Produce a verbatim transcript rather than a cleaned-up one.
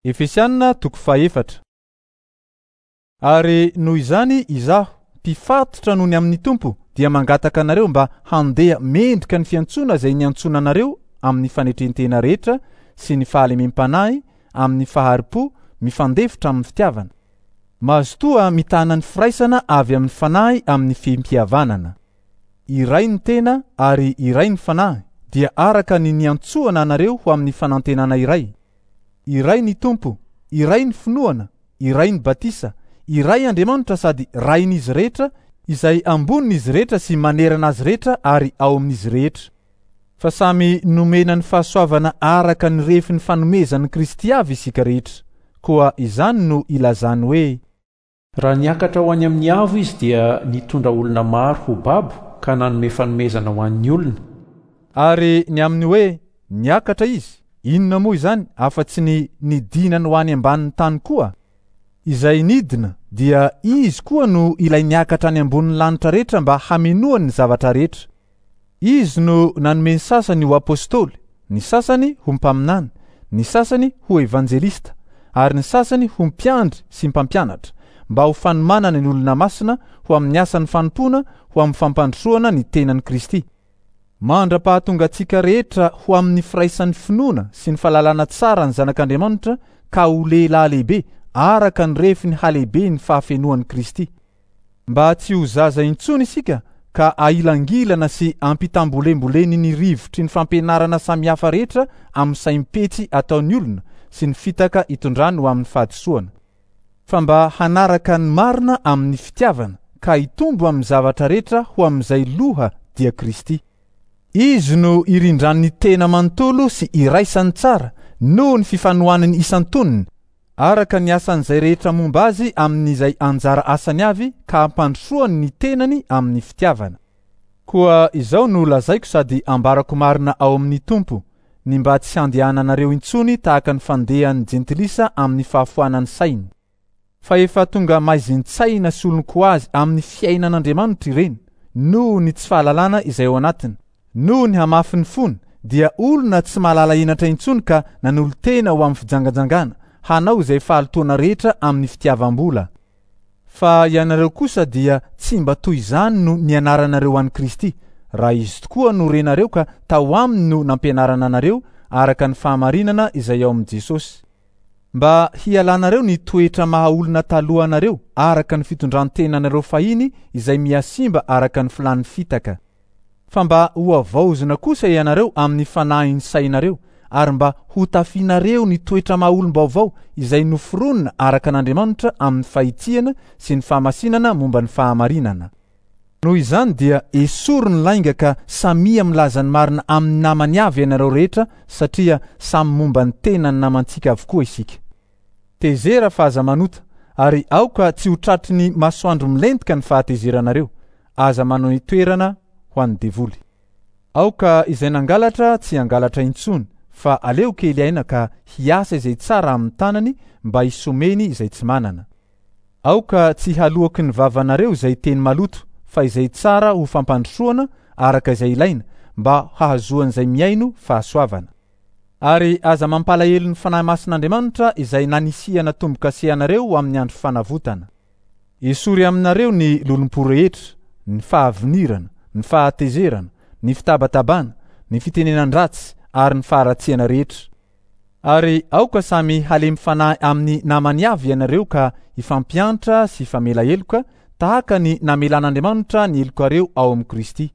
Efesiana toko fahefatra. Ary noho izany izaho, mpifatotra noho ny amin'ny Tompo, dia mangataka anareo mba handeha mendrika ny fiantsoana izay niantsoana anareo amin'ny fanetren-tena rehetra sy ny fahalemem-panahy, amin'ny fahari-po mifandefitra amin'ny fitiavana. Mazotoa mitana ny firaisana avy amin'ny fanahy amin'ny fihim-pihavanana. Iray ny tena ary iray ny fanahy, dia araka ny niantsoana anareo ho amin'ny fanantenana iray. Iray ny Tompo, iray ny finoana, iray ny batisa, iray Andriamanitra sady rain'izy rehetra, izay ambonin'izy rehetra sy manerana azy rehetra ary ao amin'izy rehetra. Fa samy nomena ny fahasoavana araka ny refin'ny fanomezan'i Kristy avy isika rehetra. Koa izany no ilazany hoe: Raha niakatra ho any amin'ny avo izy dia nitondra olona maro ho babo ka nanome fanomezana ho an'ny olona. Ary ny amin'ny hoe niakatra izy, inona moa izany afa-tsy ny nidinany ho any ambanin'ny tany koa? Izay nidina dia izy koa no ilay niakatra any ambonin'ny lanitra rehetra mba hamenoany ny zavatra rehetra. Izy no nanome ny sasany ho apôstôly, ny sasany ho mpaminany, ny sasany ho evanjelista, ary ny sasany ho mpiandry sy mpampianatra, mba ho fanomanana ny olona masina ho amin'ny asan'ny fanompoana, ho amin'ny fampandrosoana ny tenan'i Kristy. Mandra-pahatonga antsika rehetra ho amin'ny firaisan'ny finoana sy ny fahalalana tsara ny Zanak'Andriamanitra ka ho lehilahy lehibe araka ny refin'ny halehibe ny fahafenoan'i Kristy. Mba tsy ho zaza intsony isika ka ahilangilana sy ampitambolembolen'ny rivotry ny fampianarana samihafa rehetra amin'ny saim-petsy ataon'ny olona sy ny fitaka itondrany ho amin'ny fahadisoana. Fa mba hanaraka ny marina amin'ny fitiavana ka hitombo amin'ny zavatra rehetra ho amin'izay loha dia Kristy. Izy no irindran'ny tena manontolo sy iraisany tsara noho ny fifanohanany isan-tonony, araka ny asan'izay rehetra momba azy amin'izay anjara asany avy ka hampandrosoany ny tenany amin'ny fitiavana. Koa izao no lazaiko sady ambarako marina ao amin'ny Tompo, ny mba tsy handehananareo intsony tahaka ny fandehan'ny jentilisa amin'ny fahafoanan'ny sainy. Fa efa tonga maizin-tsaina sy olon-ko azy amin'ny fiainan'Andriamanitra ireny, noho ny tsy fahalalana izay ao anatiny. Noho ny hamafin'ny fony dia olona tsy mahalala henatra intsony ka nanolo-tena ho amin'ny fijangajangana, hanao izay fahalotoana rehetra amin'ny fitiavam-bola. Fa ianareo kosa dia tsy mba toy izany no nianaranareo an'i Kristy, raha izy tokoa no renareo ka tao aminy no nampianarana anareo araka ny fahamarinana izay ao amin'i Jesosy. Mba hialanareo ny toetra maha olona talohanareo araka ny fitondran-tenanareo fahiny izay mihasimba araka ny filan'ny fitaka. Fa mba ho havaozina kosa ianareo amin'ny fanahin'ny sainareo, ary mba hotafianareo ny toetra maha olom-baovao izay noforonina araka an'Andriamanitra amin'ny fahitsiana sy ny fahamasinana momba ny fahamarinana. Noho izany dia esory ny lainga ka samia milaza ny marina amin'ny namany avy ianareo rehetra, satria samy momba ny tenan'ny namantsika avokoa isika. Tezera fa aza manota, ary aoka tsy ho tratry ny masoandro milentika ny fahatezeranareo. Aza manao toerana ho an'ny devoly. Aoka izay nangalatra tsy hangalatra intsony, fa aleo kely aina ka hiasa izay tsara amin'ny tanany mba hisomeny izay tsy manana. Aoka tsy haloaky ny vavanareo izay teny maloto, fa izay tsara ho fampandrosoana araka izay ilaina, mba hahazoan'izay mihaino fahasoavana. Ary aza mampalahelo ny Fanahy Masin'Andriamanitra izay nanisihana tombo-kase anareo ho amin'ny andro fanavotana. Esory aminareo ny lolompo rehetra, ny fahavinirana, ny fahatezerana, ny fitabatabana, ny fitenenan-dratsy ary ny faharatsiana rehetra. Ary aoka samy halemy fanahy amin'ny namany avy ianareo ka hifampiantra sy hifamela heloka tahaka ny namelan'Andriamanitra ny helokareo ao amin'i Kristy.